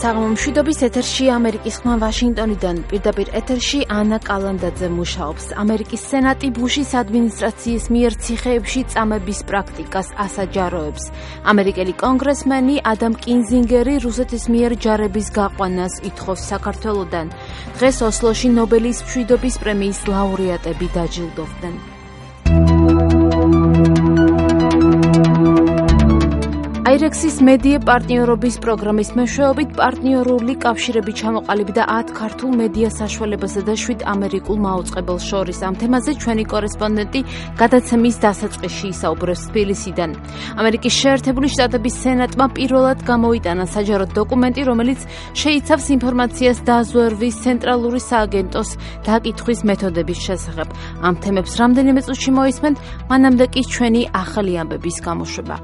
საღამომშვიდობის ეთერში ამერიკის ხმა ვაშინგტონიდან პირდაპირ ეთერში ანა კალანდაძე მუშაობს. ამერიკის სენატი ბუშის ადმინისტრაციის მიერ ციხეებში წამების პრაქტიკას ასაჯაროებს. ამერიკელი კონგრესმენი ადამ კინზინგერი რუსეთის მიერ ჯარების გაყვანას ითხოვს საქართველოდან. დღეს ოსლოში ნობელის მშვიდობის პრემიის ლაურეატები დაჯილდოვდნენ. აირექსის მედია პარტნიორობის პროგრამის მეშვეობით პარტნიორული კავშირები ჩამოყალიბდა 10 ქართულ მედია საშუალებასა და 7 ამერიკულ მაუწყებელს შორის. ამ თემაზე ჩვენი კორესპონდენტი გადაცემის დასაწყისში ისაუბრებს თბილისიდან. ამერიკის შეერთებული შტატების სენატმა პირველად გამოიტანა საჯარო დოკუმენტი, რომელიც შეიცავს ინფორმაციას დაზვერვის ცენტრალური სააგენტოს დაკითხვის მეთოდების შესახებ. ამ თემებს რამდენიმე წუთში მოისმენთ, მანამდე კი ჩვენი ახალი ამბების გამოშვება.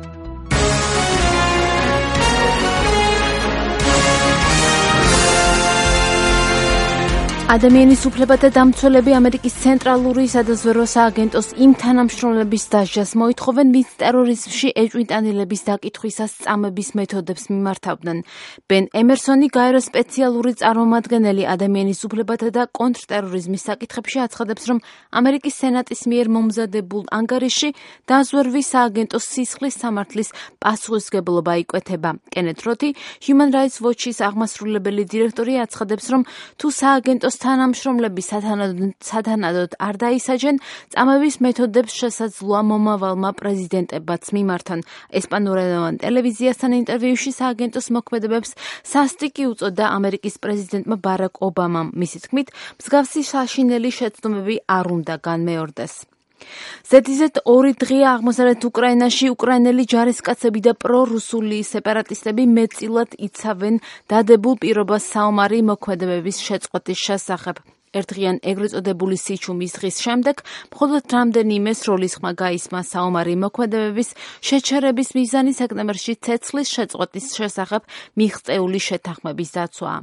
ადამიანის უფლებათა დამცველები ამერიკის ცენტრალური სადაზვერვო სააგენტოს იმ თანამშრომლების დასჯას მოითხოვენ, ვინც ტერორიზმში ეჭვმიტანილების დაკითხვისას წამების მეთოდებს მიმართავდნენ. ბენ ემერსონი, გაეროს სპეციალური წარმომადგენელი ადამიანის უფლებათა და კონტრტერორიზმის საკითხებში აცხადებს, რომ ამერიკის სენატის მიერ მომზადებულ ანგარიშში დაზვერვის სააგენტოს სისხლის სამართლის პასუხისმგებლობა იკვეთება. კენეთ როთი, Human Rights Watch-ის აღმასრულებელი დირექტორი აცხადებს, რომ თუ სააგენტოს თანამშრომლები სათანადოდ არ დაისაჯენ, წამების მეთოდებს შესაძლოა მომავალმა პრეზიდენტებაც მიმართონ. ესპანურენოვან ტელევიზიასთან ინტერვიუში სააგენტოს მოქმედებებს სასტიკი უწოდა ამერიკის პრეზიდენტმა ბარაკ ობამამ. მისი თქმით, მსგავსი საშინელი შეცდომები არ უნდა განმეორდეს. ზედიზედ 2 დღეა აღმოსავლეთ უკრაინაში უკრაინელი ჯარისკაცები და პრორუსული სეპარატისტები მეტწილად იცავენ დადებულ პირობას საომარი მოქმედებების შეწყვეტის შესახებ. ერთდღიან ეგრეთ წოდებული სიჩუმის დღის შემდეგ მხოლოდ რამდენიმე სროლისხმა გაისმა საომარი მოქმედებების შეჩერების მიზანი სექტემბერში ცეცხლის შეწყვეტის შესახებ მიღწეული შეთანხმების დაცვაა.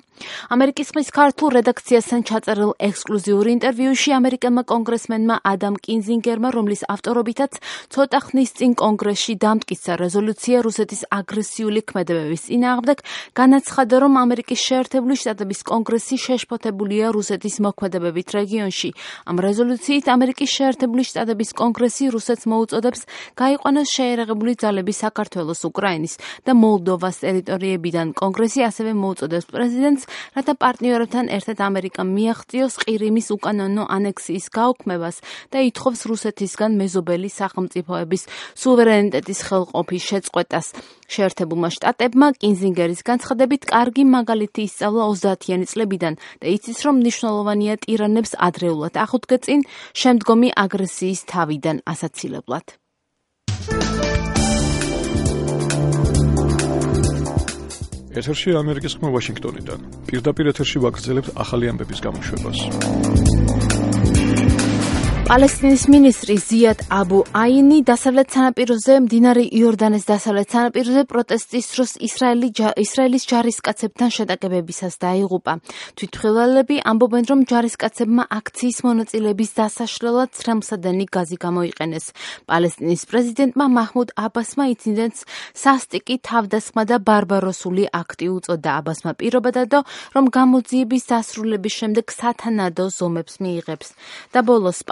ამერიკის ხმის ქართულ რედაქციასთან ჩაწერილ ექსკლუზიურ ინტერვიუში ამერიკელმა კონგრესმენმა ადამ კინზინგერმა, რომლის ავტორობითაც ცოტა ხნის წინ კონგრესში დამტკიცა რეზოლუცია რუსეთის აგრესიული ქმედებების წინააღმდეგ, განაცხადა, რომ ამერიკის შეერთებული შტატების კონგრესი შეშფოთებულია რუსეთის მოქმედებებით რეგიონში. ამ რეზოლუციით ამერიკის შეერთებული შტატების კონგრესი რუსეთს მოუწოდებს გაიყვანოს შეიარაღებული ძალები საქართველოს, უკრაინის და მოლდოვას ტერიტორიებიდან. კონგრესი ასევე მოუწოდებს პრეზიდენტს, რათა პარტნიორებთან ერთად ამერიკამ მიაღწიოს ყირიმის უკანონო ანექსიის გაუქმებას და ითხოვს რუსეთისგან მეზობელი სახელმწიფოების სუვერენიტეტის ხელყოფის შეწყვეტას. შეერთებულმა შტატებმა კინზინგერის განცხადებით კარგი მაგალითი ისწავლა 30-იანი წლებიდან და იცის, რომ მნიშვნელოვანია ტირანებს ადრეულად ახუდგეწინ შემდგომი აგრესიის თავიდან ასაცილებლად. ეთერში ამერიკის ხმა ვაშინგტონიდან. პირდაპირ ეთერში ვაგრძელებთ ახალი ამბების გამოშვებას. პალესტინის მინისტრი ზიად აბუ აინი დასავლეთ სანაპიროზე, მდინარე იორდანეს დასავლეთ სანაპიროზე პროტესტის დროს ისრაელის ჯარისკაცებთან შეტაკებებისას დაიღუპა. თვითმხილველები ამბობენ, რომ ჯარისკაცებმა აქციის მონაწილეების დასაშლელად ცრემლსადენი გაზი გამოიყენეს. პალესტინის პრეზიდენტმა მაჰმუდ აბასმა ინციდენტს სასტიკი, თავდასხმა და ბარბაროსული აქტი უწოდა. აბასმა პირობა დადო, რომ გამოძიების დასრულების შემდეგ სათანადო ზომებს მიიღებს. და ბოლოს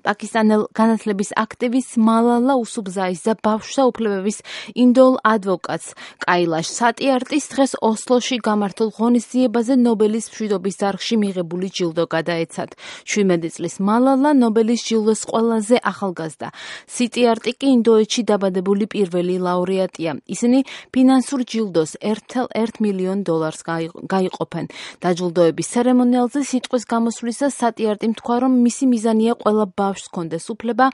პაკისტანელ განათლების აქტივისტ მალალა უსუბზაის და ბავშვთა უფლებების ინდოელ ადვოკატს კაილაშ სატიარტის დღეს ოსლოში გამართულ ღონისძიებაზე ნობელის მშვიდობის დარგში მიღებული ჯილდო გადაეცათ. 17 წლის მალალა ნობელის ჯილდოს ყველაზე ახალგაზრდა. სატიარტი კი ინდოეთში დაბადებული პირველი ლაურეატია. ისინი ფინანსურ ჯილდოს $1 მილიონ გაიყოფენ. დაჯილდოების ცერემონიალზე სიტყვის გამოსვლისას სატიარტი თქვა, რომ მისი მიზანია ყველა ბავშვს ჰქონდეს უფლება,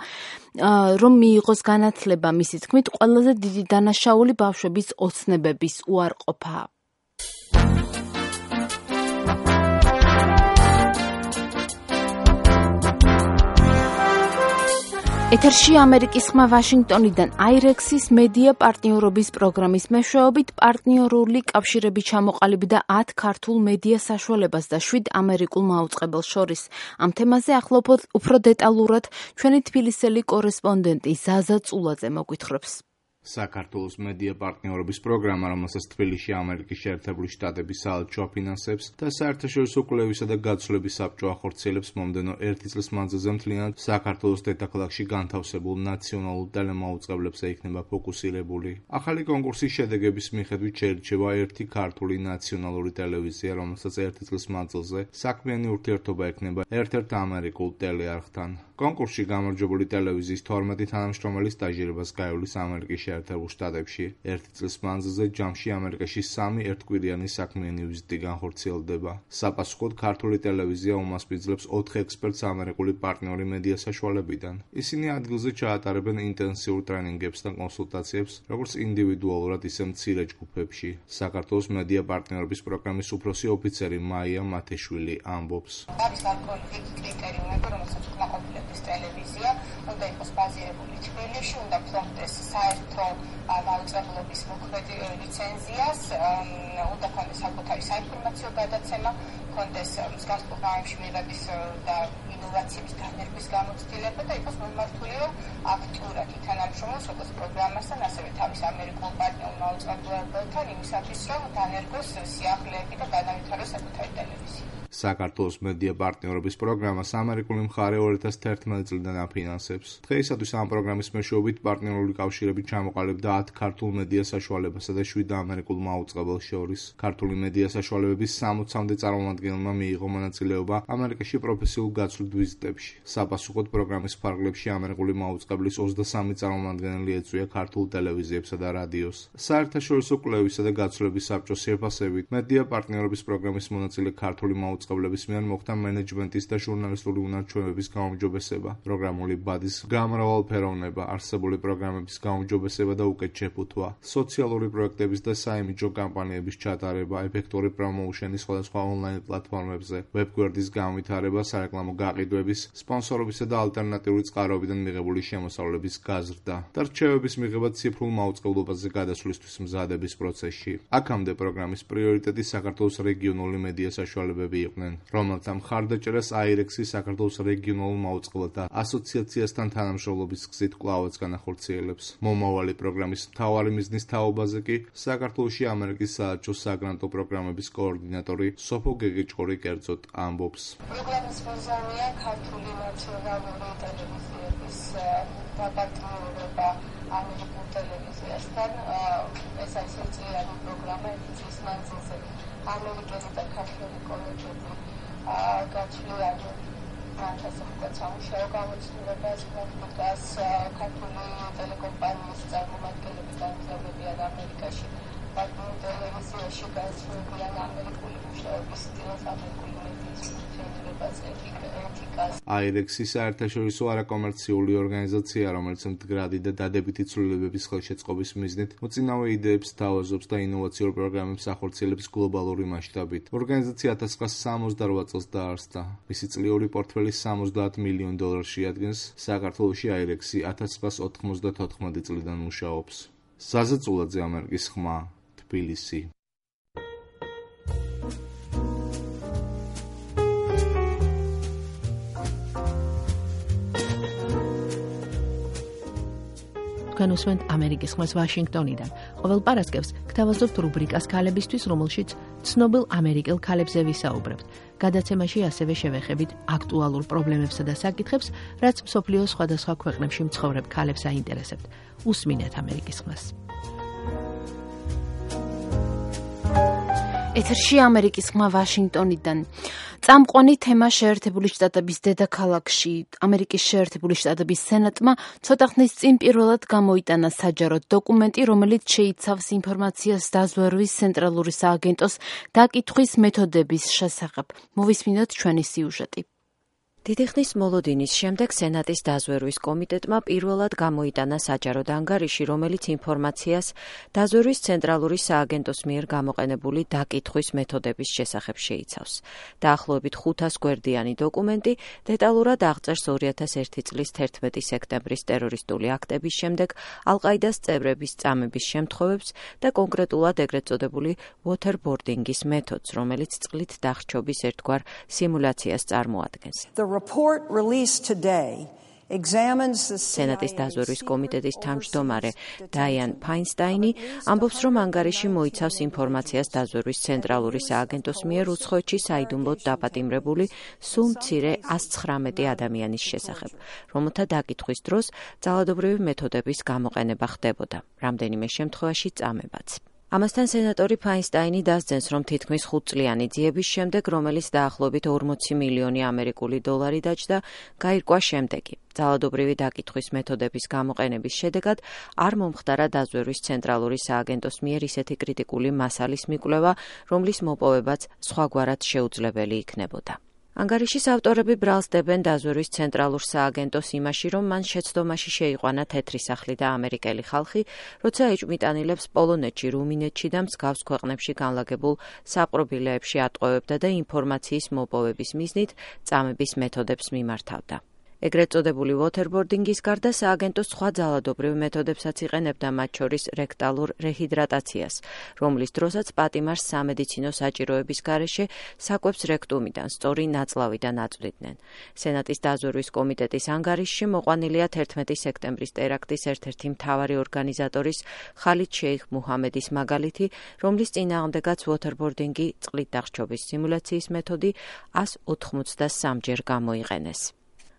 რომ მიიღოს განათლება. მისი თქმით, ყველაზე დიდი დანაშაული ბავშვების ოცნებების უარყოფაა. ეთერში ამერიკის ხმა ვაშინგტონიდან აირექსის მედია პარტნიორობის პროგრამის მეშვეობით პარტნიორული კავშირები ჩამოყალიბდა 10 ქართულ მედია საშუალებას და 7 ამერიკულ მაუწყებელს შორის. ამ თემაზე ახლა უფრო დეტალურად ჩვენი თბილისელი კორესპონდენტი ზაზა წულაძე მოგვითხრობს. საქართველოს მედია პარტნიორობის პროგრამა, რომელსაც თბილისში ამერიკის შეერთებული შტატების საელჩო აფინანსებს და საერთაშორისო კვლევისა და გაცვლების საბჭო ახორციელებს, მომდევნო 1 წლის მანძილზე მთლიანად საქართველოს დედაქალაქში განთავსებულ ნაციონალურ ტელემაუწყებლებზე იქნება ფოკუსირებული. ახალი კონკურსის შედეგების მიხედვით შეირჩევა ერთი ქართული ნაციონალური ტელევიზია, რომელსაც 1 წლის მანძილზე საქმიანი ურთიერთობა ექნება ერთ-ერთ ამერიკულ ტელეარხთან. კონკურსში გამარჯვებული ტელევიზიის 12 თანამშრომელი სტაჟირებას გაივლის ამერიკის შეერთებულ შტატებში. 1 წლის მანძილზე ჯამში ამერიკაში 3 ერთკვირიანი საქმიანი ვიზიტი განხორციელდება. საპასუხოდ ქართული ტელევიზია უმასპინძლებს 4 ექსპერტს ამერიკული პარტნიორი მედია საშუალებიდან. ისინი ადგილზე ჩაატარებენ ინტენსიურ ტრენინგებს და კონსულტაციებს, როგორც ინდივიდუალურად, ისე მცირე ჯგუფებში. საქართველოს მედია პარტნიორობის პროგრამის უფროსი ოფიცერი მაია მათეშვილი ამბობს. ტელევიზია უნდა იყოს ბაზირებული თბილისში, უნდა ფლობდეს საერთო მაუწყებლობის მოქმედი ლიცენზიას, უნდა ქონდეს საკუთარი საინფორმაციო გადაცემა, ქონდეს მსგავს პროგრამებში მიღების და ინოვაციების დანერგვის გამოცდილება და იყოს მომართულება აქტიურად ითანამშრომლოს როგორც პროგრამასთან, ასევე თავის ამერიკულ პარტნიორ მაუწყებლებთან იმისათვის, რომ დანერგოს სიახლეები და განავითაროს საკუთარი ტელევიზია. საქართველოს მედია პარტნიორობის პროგრამას ამერიკული მხარე 2011 წლიდან აფინანსებს. დღეისათვის ამ პროგრამის მეშვეობით პარტნიორული კავშირები ჩამოყალიბდა 10 ქართულ მედია საშუალებასა და 7 ამერიკულ მაუწყებელს შორის. ქართული მედია საშუალებების 60-მდე წარმომადგენელმა მიიღო მონაწილეობა ამერიკაში პროფესიულ გაცვლით ვიზიტებში. საპასუხოდ პროგრამის ფარგლებში ამერიკული მაუწყებლის 23 წარმომადგენელი ეწვია ქართულ ტელევიზიებსა და რადიოს. საერთაშორისო კვლევისა და გაცვლების საბჭოს შეფასებით მედია პარტნიორობის პროგრამის მონაწილე ქართული მაუწყებლების მიერ მოხდა მენეჯმენტის და ჟურნალისტური უნარჩვევების გაუმჯობესება, პროგრამული ბადის გამრავალფეროვნება, არსებული პროგრამების გაუმჯობესება და უკეთ შეფუთვა, სოციალური პროექტების და საიმიჯო კამპანიების ჩატარება, ეფექტური პრომოუშენი სხვადასხვა ონლაინ პლატფორმებზე, ვებგვერდის განვითარება, სარეკლამო გაყიდვების, სპონსორობისა და ალტერნატიული წყაროებიდან მიღებული შემოსავლების გაზრდა და რჩევების მიღება ციფრულ მაუწყებლობაზე გადასვლისთვის მზადების პროცესში. აქამდე პროგრამის პრიორიტეტი საქართველოს რეგიონული მედია საშუალებები იყვნენ, რომელთა მხარდაჭერას აირექსი საქართველოს რეგიონულ მაუწყებელთა ასოციაციასთან თანამშრომლობის გზით კვლავაც განახორციელებს. მომავალი პროგრამის მთავარი მიზნის თაობაზე კი საქართველოში ამერიკის საელჩო საგრანტო პროგრამების კოორდინატორი სოფო გეგეჭყორი კერძოდ ამბობს. პროგრამის მიზანია ქართული ნაციონალური ტელევიზიების დაპარტნიორება ამერიკულ ტელევიზიასთან. ეს არის ერთწლიანი პროგრამა, 1 წლის მანძილზე ამერიკელი და ქართული კოლეგები გაცვლიან განსაკუთრებით სამუშაო გამოცდილებას, პრაქტიკას, ქართული ტელეკომპანიის წარმომადგენლები განთავებიან ამერიკაში, პარტნიორ ტელევიზიაში გაცვლიან ამერიკული მუშაობის სტილს, ამერიკული მედიის ფუნქციონირებაზე, ეთიკას. აირექსი საერთაშორისო არაკომერციული ორგანიზაცია, რომელიც მდგრადი და დადებითი ცვლილებების ხელშეწყობის მიზნით მოწინავე იდეებს თავაზობს და ინოვაციურ პროგრამებს ახორციელებს გლობალური მასშტაბით. ორგანიზაცია 1968 წელს დაარსდა. მისი წლიური პორტფელი $70 მილიონ შეადგენს. საქართველოში აირექსი 1994 წლიდან მუშაობს. ზაზა წულაძე, ამერიკის ხმა, თბილისი. თქვენ უსმენთ ამერიკის ხმას ვაშინგტონიდან. ყოველ პარასკევს გთავაზობთ რუბრიკას ქალებისთვის, რომელშიც ცნობილ ამერიკელ ქალებზე ვისაუბრებთ. გადაცემაში ასევე შევეხებით აქტუალურ პრობლემებსა და საკითხებს, რაც მსოფლიოს სხვადასხვა ქვეყნებში მცხოვრებ ქალებს აინტერესებთ. უსმინეთ ამერიკის ხმას. ეთერში ამერიკის ხმა ვაშინგტონიდან. წამყვანი თემა შეერთებული შტატების დედაქალაქში ამერიკის შეერთებული შტატების სენატმა ცოტა ხნის წინ პირველად გამოიტანა საჯარო დოკუმენტი, რომელიც შეიცავს ინფორმაციას დაზვერვის ცენტრალური სააგენტოს დაკითხვის მეთოდების შესახებ. მოვისმინოთ ჩვენი სიუჟეტი. დიდი ხნის მოლოდინის შემდეგ სენატის დაზვერვის კომიტეტმა პირველად გამოიტანა საჯარო ანგარიში, რომელიც ინფორმაციას დაზვერვის ცენტრალური სააგენტოს მიერ გამოყენებული დაკითხვის მეთოდების შესახებ შეიცავს. დაახლოებით 500 გვერდიანი დოკუმენტი დეტალურად აღწერს 2001 წლის 11 სექტემბრის ტერორისტული აქტების შემდეგ ალ-ყაიდას წევრების წამების შემთხვევებს და კონკრეტულად ეგრეთ წოდებული waterboarding-ის მეთოდს, რომელიც წყლით დახრჩობის ერთგვარ სიმულაციას წარმოადგენს. The report released today სენატის დაზვერვის კომიტეტის თავმჯდომარე დაიან ფაინსტაინი ამბობს, რომ ანგარიში მოიცავს ინფორმაციას დაზვერვის ცენტრალური სააგენტოს მიერ უცხოეთში საიდუმლოდ დაპატიმრებული სულ მცირე 119 ადამიანის შესახებ, რომელთა დაკითხვის დროს ძალადობრივი მეთოდების გამოყენება ხდებოდა, რამდენიმე შემთხვევაში წამებაც. ამასთან სენატორი ფაინსტაინი დასძენს, რომ თითქმის 5 წლიანი ძიების შემდეგ, რომელიც დაახლოებით 40 მილიონი ამერიკული დოლარი დაჯდა, გაირკვა შემდეგი. ძალადობრივი დაკითხვის მეთოდების გამოყენების შედეგად არ მომხდარა დაზვერვის ცენტრალური სააგენტოს მიერ ისეთი კრიტიკული მასალის მიკვლევა, რომლის მოპოვებაც სხვაგვარად შეუძლებელი იქნებოდა. ანგარიშის ავტორები ბრალს დებენ დაზვერვის ცენტრალურ სააგენტოს იმაში, რომ მან შეცდომაში შეიყვანა თეთრი სახლი და ამერიკელი ხალხი, როცა ეჭვმიტანილებს პოლონეთში, რუმინეთში და მსგავს ქვეყნებში განლაგებულ საპყრობილეებში ატყვევებდა და ინფორმაციის მოპოვების მიზნით წამების მეთოდებს მიმართავდა. ეგრეთ წოდებული waterboarding-ის გარდა სააგენტოს სხვა ძალადობრივ მეთოდებსაც იყენებდა, მათ შორის რექტალურ რეჰიდრატაციას, რომლის დროსაც პატიმარს სამედიცინო საჭიროების გარეშე საკვებს რექტუმიდან სწორი ნაწლავიდან აწვდიდნენ. სენატის დაზვერვის კომიტეტის ანგარიშში მოყვანილია 11 სექტემბრის ტერაქტის ერთ-ერთი მთავარი ორგანიზატორის ხალიდ შეიხ მუჰამედის მაგალითი, რომლის წინააღმდეგაც waterboarding-ი წყლით დახშობის სიმულაციის მეთოდი 183-ჯერ გამოიყენეს.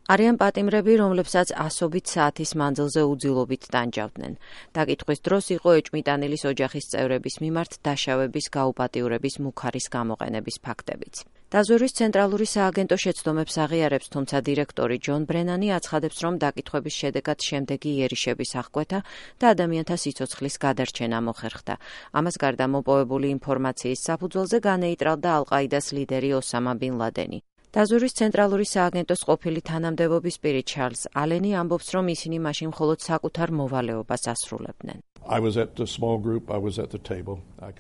არიან პატიმრები, რომლებსაც ასობით საათის მანძილზე უძილობით ტანჯავდნენ. დაკითხვის დროს იყო ეჭვმიტანილის ოჯახის წევრების მიმართ დაშავების გაუპატიურების მუქარის გამოყენების ფაქტებიც. დაზვერვის ცენტრალური სააგენტო შეცდომებს აღიარებს, თუმცა დირექტორი ჯონ ბრენანი აცხადებს, რომ დაკითხვების შედეგად შემდეგი იერიშების აღკვეთა და ადამიანთა სიცოცხლის გადარჩენა მოხერხდა. ამას გარდა მოპოვებული ინფორმაციის საფუძველზე განეიტრალდა ალ-ყაიდას ლიდერი ოსამა ბინ ლადენი. დაზვერვის ცენტრალური სააგენტოს ყოფილი თანამდებობის პირი ჩარლზ ალენი ამბობს, რომ ისინი მაშინ მხოლოდ საკუთარ მოვალეობას ასრულებდნენ.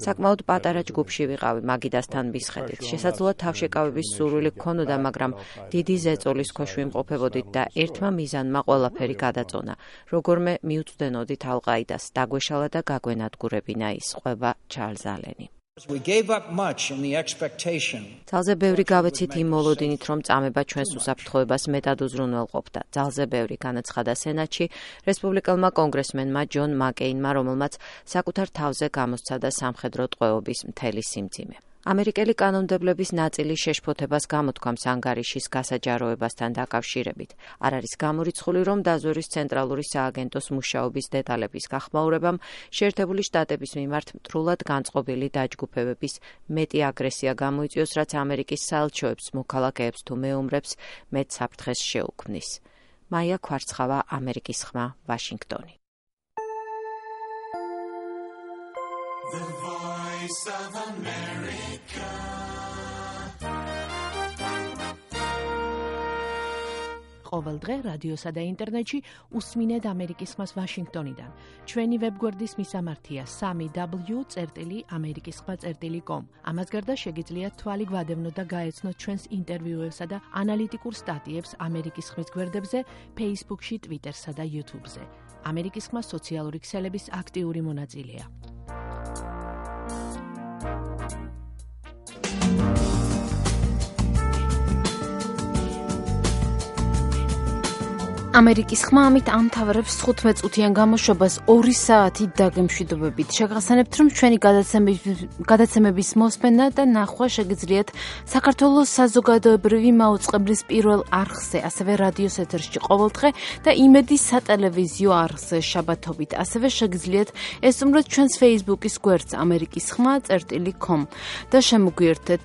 საკმაოდ პატარა ჯგუფში ვიყავი მაგიდასთან მისხედით. შესაძლოა თავშეკავების სურვილი გქონოდა, მაგრამ დიდი ზეწოლის ქვეშ ვიმყოფებოდით და ერთმა მიზანმა ყველაფერი გადაწონა. როგორმე მიუწვდენოდით ალ-ყაიდას, დაგვეშალა და გაგვენადგურებინა ის, ყვება ჩარლზ ალენი. ძალზე ბევრი გავეცით იმ მოლოდინით, რომ წამება ჩვენს უსაფრთხოებას მეტად უზრუნველყოფდა. ძალზე ბევრი, განაცხადა სენატში რესპუბლიკელმა კონგრესმენმა ჯონ მაკეინმა, რომელმაც საკუთარ თავზე გამოსცადა სამხედრო ტყვეობის მთელი სიმძიმე. ამერიკელი კანონმდებლების ნაწილი შეშფოთებას გამოთქვამს ანგარიშის გასაჯაროებასთან დაკავშირებით. არ არის გამორიცხული, რომ დაზვერვის ცენტრალური სააგენტოს მუშაობის დეტალების გახმაურებამ შეერთებული შტატების მიმართ მტრულად განწყობილი დაჯგუფებების მეტი აგრესია გამოიწვიოს, რაც ამერიკის საელჩოებს, მოქალაქეებს თუ მეომრებს მეტ საფრთხეს შეუქმნის. მაია ქვარცხავა, ამერიკის ხმა, ვაშინგტონი. The Voice of America. ყოველ დღე რადიოსა და ინტერნეტში უსმინეთ ამერიკის ხმას ვაშინგტონიდან. ჩვენი ვებგვერდის მისამართია 3w.amerikiskhma.com. ამას გარდა შეგიძლიათ თვალი გვადევნოთ და გაეცნოთ ჩვენს ინტერვიუებსა და ანალიტიკურ სტატიებს ამერიკის ხმის გვერდებზე, Facebook-ში, Twitter-სა და YouTube-ზე. ამერიკის ხმა სოციალური ქსელების აქტიური მონაწილეა. ამერიკის ხმა ამით ამთავრებს 15 წუთიან გამოშვებას 2 საათით დაგემშვიდობებით. შეგახსენებთ, რომ ჩვენი გადაცემების მოსმენა და ნახვა შეგიძლიათ საქართველოს საზოგადოებრივი მაუწყებლის პირველ არხზე, ასევე რადიოს ეთერში ყოველდღე და იმედის სატელევიზიო არხზე შაბათობით. ასევე შეგიძლიათ ესწროთ ჩვენს Facebook-ის გვერდს amerikiskhma.com და შემოგვიერთეთ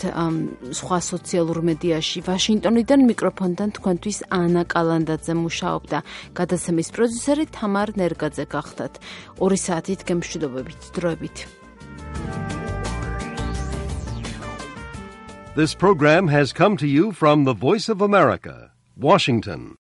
სხვა სოციალურ მედიაში. ვაშინგტონიდან მიკროფონთან თქვენთვის ანა კალანდაძე მუშაობს. და გადაცემის პროდიუსერი თამარ ნერგაძე გახდათ. 2 საათით გემშვიდობებით დროებით. This program has come to you from the Voice of America, Washington.